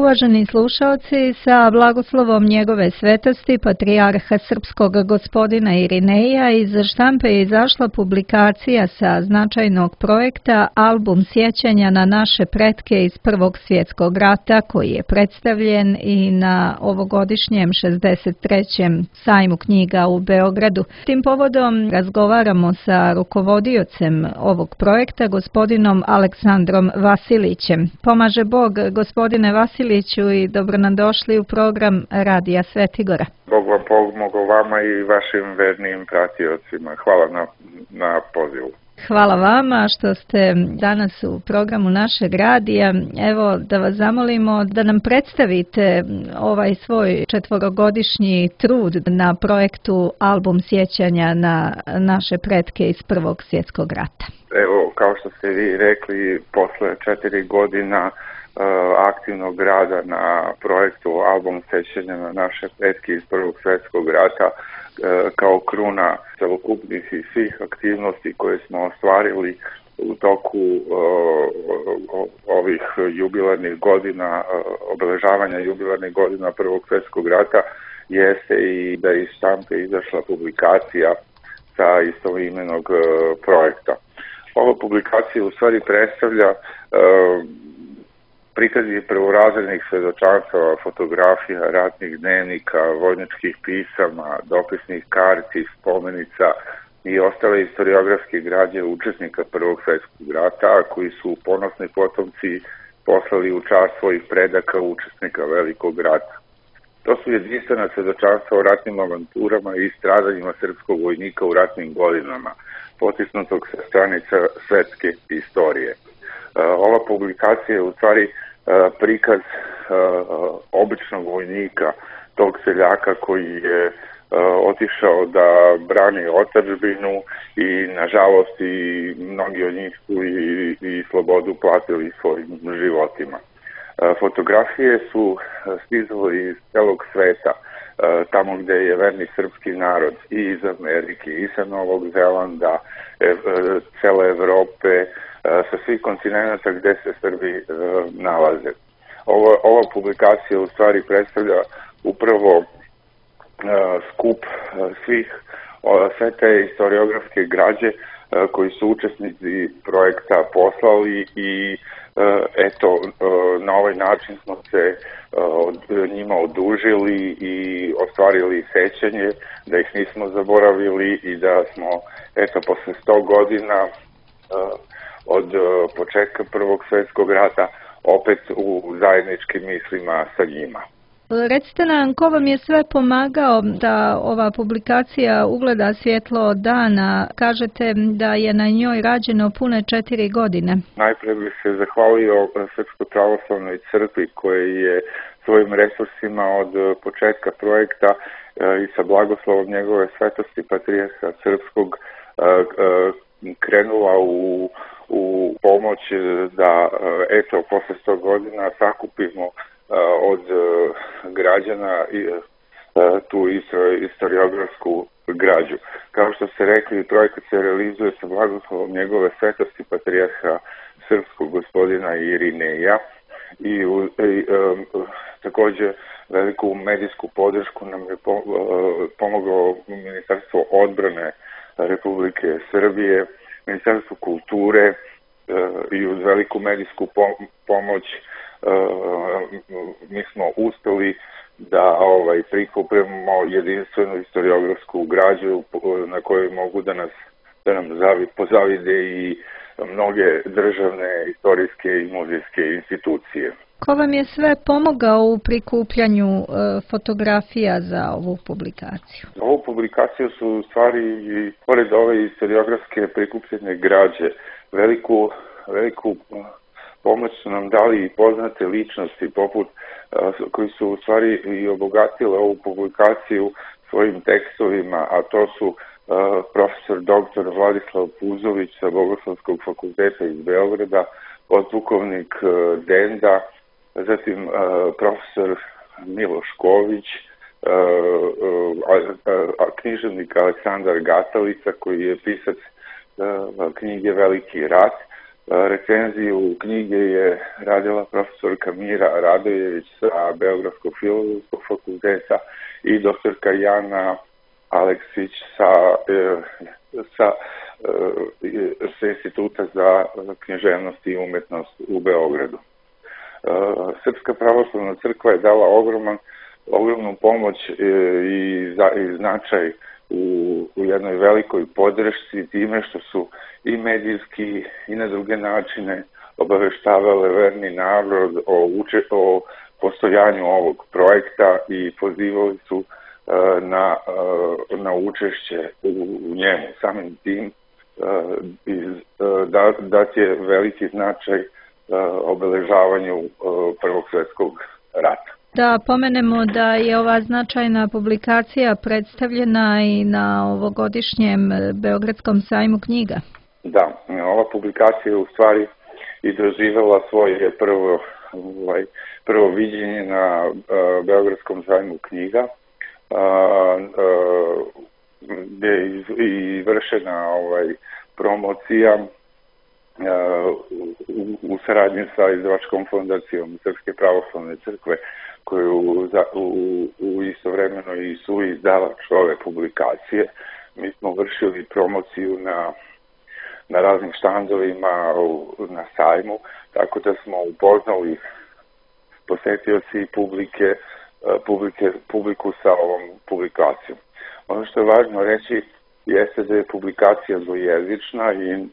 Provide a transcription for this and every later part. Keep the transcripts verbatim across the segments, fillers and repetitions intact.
Uvaženi slušalci, sa blagoslovom njegove svetosti patrijarha srpskog gospodina Irineja iz štampe je izašla publikacija sa značajnog projekta Album sjećanja na naše pretke iz Prvog svjetskog rata, koji je predstavljen i na ovogodišnjem šezdeset trećem sajmu knjiga u Beogradu. Tim povodom razgovaramo sa rukovodiocem ovog projekta, gospodinom Aleksandrom Vasilićem. Pomaže Bog, gospodine Vasilić, i dobro nam došli u program Radija Svetigora. Bog vam pomogao vama i vašim vernim pratiocima. Hvala na, na pozivu. Hvala vama što ste danas u programu našeg radija. Evo da vas zamolimo da nam predstavite ovaj svoj četvorogodišnji trud na projektu Album sjećanja na naše pretke iz Prvog svjetskog rata. Evo, kao što ste vi rekli, posle četiri godina aktivnog rada na projektu Album sjećanja na naše pretke iz Prvog svjetskog rata, kao kruna celokupnih i svih aktivnosti koje smo ostvarili u toku ovih jubilarnih godina, obeležavanja jubilarnih godina Prvog svjetskog rata, jeste i da iz štampe izašla publikacija sa istoimenog projekta. Ova publikacija u stvari predstavlja prikazi prvorazrednih svedočanstava, fotografija, ratnih dnevnika, vojničkih pisama, dopisnih karti, spomenica i ostale historiografske građe učesnika Prvog svjetskog rata, koji su ponosni potomci poslali u čast svojih predaka učesnika Velikog rata. To su jedinstvena svedočanstva o ratnim avanturama i stradanjima srpskog vojnika u ratnim godinama, potisnutog sa stranica svetske istorije. Ova publikacija je u stvari prikaz običnog vojnika, tog seljaka koji je otišao da brani otadžbinu i nažalost i mnogi od njih su i, i slobodu platili svojim životima. Fotografije su stizale iz celog sveta, tamo gde je verni srpski narod, i iz Amerike, i sa Novog Zelanda, cele Evrope, sa svih kontinenta gde se Srbi nalaze. Ova, ova publikacija u stvari predstavlja upravo skup svih sve te historiografske građe koji su učesnici projekta poslali i eto, na ovaj način smo se od njima odužili i ostvarili sećanje, da ih nismo zaboravili i da smo eto posle sto godina od početka Prvog svjetskog rata opet u zajedničkim mislima sa njima. Recite nam, ko vam je sve pomagao da ova publikacija ugleda svjetlo dana? Kažete da je na njoj rađeno pune četiri godine. Najprije bih se zahvalio Srpskoj pravoslavnoj crkvi koja je svojim resursima od početka projekta i sa blagoslovom njegove svetosti patrijarha srpskog krenula u u pomoć da eto posle sto godina sakupimo od građana tu historiografsku građu. Kao što ste rekli, projekat se realizuje sa blagoslovom njegove svetosti patrijarha srpskog gospodina Irineja i, u, i um, takođe veliku medijsku podršku nam je pomoglo Ministarstvo odbrane Republike Srbije, Ministarstvo kulture i uz veliku medijsku pomoć mi smo uspeli da ovaj, prikupimo jedinstvenu historiografsku građu na kojoj mogu da nas da nam zavi, pozavide i mnoge državne, istorijske i muzejske institucije. Ko vam je sve pomogao u prikupljanju e, fotografija za ovu publikaciju? Za ovu publikaciju su u stvari, i pored ove historiografske prikupljene građe, veliku, veliku pomoć su nam dali i poznate ličnosti, poput koji su u stvari i obogatile ovu publikaciju svojim tekstovima, a to su uh, profesor doktor Vladislav Puzović sa Bogoslovskog fakulteta iz Beograda, podpukovnik uh, Denda, zatim uh, profesor Miloš Ković, uh, uh, a, a književnik Aleksandar Gatalica koji je pisac uh, knjige Veliki rat, Recenziju knjige je radila profesorka Mira Radojević sa Beogradskog filozofskog fakulteta i doktorka Jana Aleksić sa, sa, sa Instituta za književnost i umetnost u Beogradu. Srpska pravoslavna crkva je dala ogroman, ogromnu pomoć i, za, i značaj u, u jednoj velikoj podršci time što su i medijski i na druge načine obaveštavale verni narod o, uče, o postojanju ovog projekta i pozivali su uh, na, uh, na učešće u, u njemu. Samim tim uh, iz, uh, da, dat je veliki značaj uh, obeležavanju uh, Prvog svjetskog rata. Da pomenemo da je ova značajna publikacija predstavljena i na ovogodišnjem Beogradskom sajmu knjiga. Da, ova publikacija je u stvari i doživjela svoje prvo, ovaj, prvo viđenje na uh, Beogradskom sajmu knjiga, uh, uh, gdje je i vršena ovaj, promocija uh, u, u saradnji sa izdavačkom fondacijom Srpske pravoslavne crkve, koju za, u, u istovremeno i su izdavač ove publikacije. Mi smo vršili promociju na, na raznim štandovima u, na sajmu, tako da smo upoznali posetioci i publike, publike, publiku sa ovom publikacijom. Ono što je važno reći jeste da je publikacija dvojezična i e,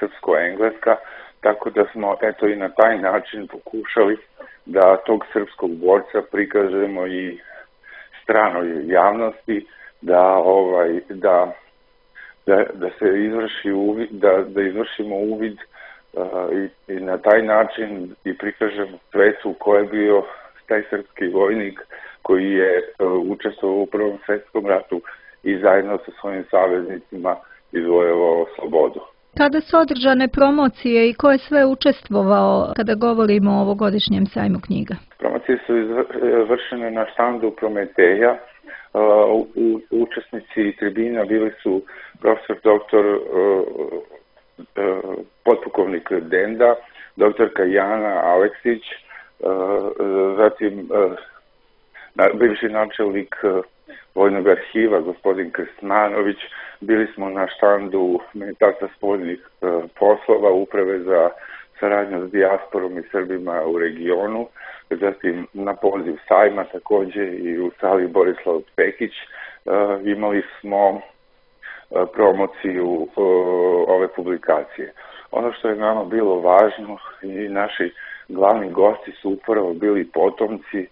srpsko-engleska, tako da smo eto i na taj način pokušali da tog srpskog borca prikažemo i stranoj javnosti, da ovaj da da, da se izvrši uvid, da da izvršimo uvid uh, i, i na taj način i prikažemo svetu ko je bio taj srpski vojnik koji je uh, učestvovao u Prvom svjetskom ratu i zajedno sa svojim saveznicima izvojevao slobodu. Kada su održane promocije i ko je sve učestvovao kada govorimo o ovogodišnjem sajmu knjiga? Promocije su izvršene na štandu Prometeja. U, učesnici tribina bili su profesor doktor potpukovnik Denda, doktorka Jana Aleksić, zatim bivši načelnik Vojnog arhiva, gospodin Krstmanović. Bili smo na štandu Ministarstva spoljnih poslova, Uprave za saradnju s dijasporom i Srbima u regionu, zatim na poziv sajma takođe i u sali Borislav Pekić imali smo promociju ove publikacije. Ono što je nama bilo važno i naši glavni gosti su upravo bili potomci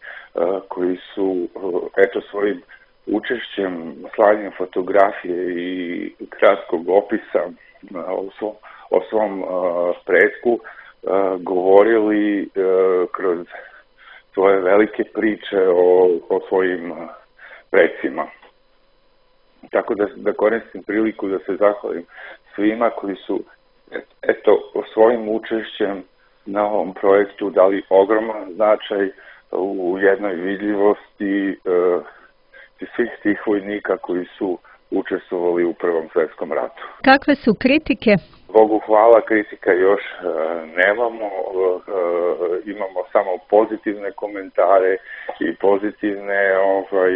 koji su eto svojim učešćem, slanjem fotografije i kratkog opisa o svom, o svom uh, pretku uh, govorili uh, kroz svoje velike priče o, o svojim uh, precima. Tako da, da koristim priliku da se zahvalim svima koji su eto svojim učešćem na ovom projektu dali ogroman značaj u jednoj vidljivosti uh, svih tih vojnika koji su učestvovali u Prvom svjetskom ratu. Kakve su kritike? Bogu hvala, kritika još e, nemamo, e, imamo samo pozitivne komentare i pozitivne, ovaj,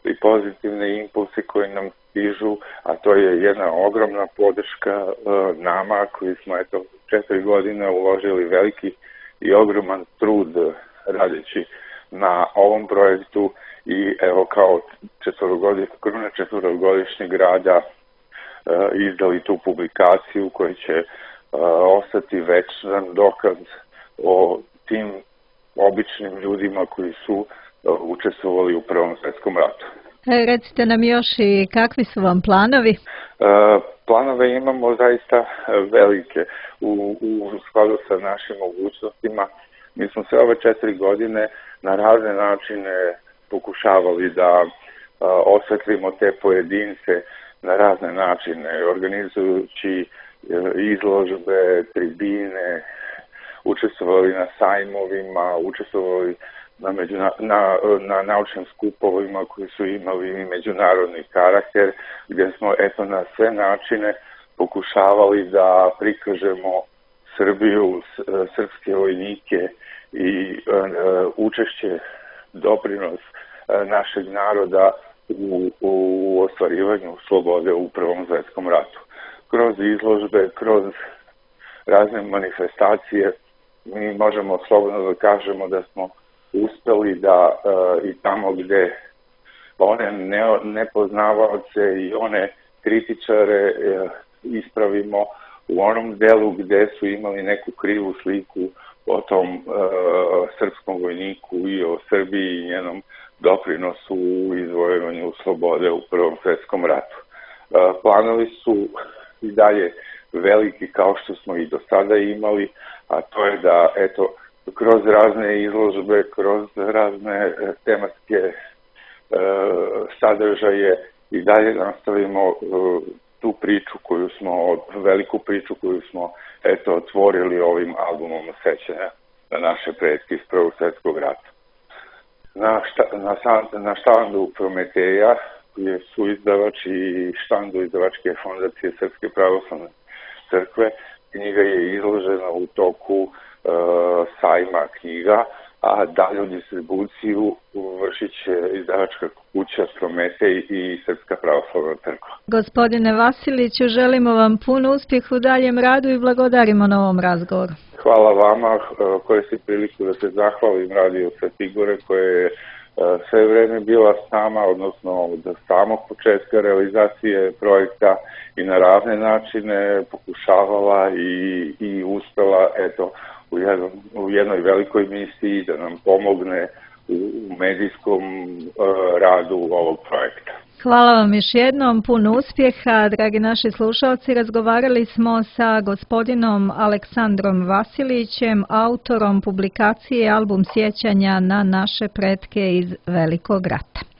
i pozitivne impulse koje nam stižu, a to je jedna ogromna podrška e, nama koji smo eto četiri godine uložili veliki i ogroman trud radeći na ovom projektu i evo kao četvorogodišnji, kruna četvorogodišnjeg rada e, izdali tu publikaciju koja će e, ostati večan dokaz o tim običnim ljudima koji su e, učestvovali u Prvom svjetskom ratu. E, recite nam još i kakvi su vam planovi? E, planove imamo zaista velike u, u skladu sa našim mogućnostima. Mi smo sve ove četiri godine na razne načine pokušavali da a, osvetlimo te pojedince na razne načine, organizujući a, izložbe, tribine, učestvovali na sajmovima, učestvovali na, međuna, na, na naučnim skupovima koji su imali i međunarodni karakter, gdje smo eto na sve načine pokušavali da prikažemo Srbiju, srpske vojnike i učešće, doprinos našeg naroda u, u ostvarivanju slobode u Prvom svetskom ratu. Kroz izložbe, kroz razne manifestacije mi možemo slobodno da kažemo da smo uspeli da i tamo gde one nepoznavaoce i one kritičare ispravimo u onom delu gde su imali neku krivu sliku o tom e, srpskom vojniku i o Srbiji i njenom doprinosu u izvojevanju slobode u Prvom svetskom ratu. E, planovi su i dalje veliki kao što smo i do sada imali, a to je da eto, kroz razne izložbe, kroz razne tematske e, sadržaje i dalje nastavimo e, tu priču koju smo, veliku priču koju smo eto otvorili ovim albumom sećanja na naše pretke iz Prvog svjetskog rata. Na, šta, na, na štandu Prometeja, koji su izdavač i štandu izdavačke fondacije Srpske pravoslavne crkve, knjiga je izložena u toku uh, sajma knjiga, a dalju distribuciju vršit će izdavačka kuća Prometej i Srpska pravoslavna crkva. Gospodine Vasiliću, želimo vam puno uspjeh u daljem radu i blagodarimo na ovom razgovoru. Hvala vama, koristim priliku da se zahvalim Radio Svetogore koje je sve vreme bila s nama, odnosno od samog početka realizacije projekta i na razne načine pokušavala i, i uspela eto, u, jednom, u jednoj velikoj misiji da nam pomogne u, u medijskom uh, radu ovog projekta. Hvala vam još jednom, puno uspjeha, dragi naši slušalci. Razgovarali smo sa gospodinom Aleksandrom Vasilićem, autorom publikacije Album sjećanja na naše pretke iz Velikog rata.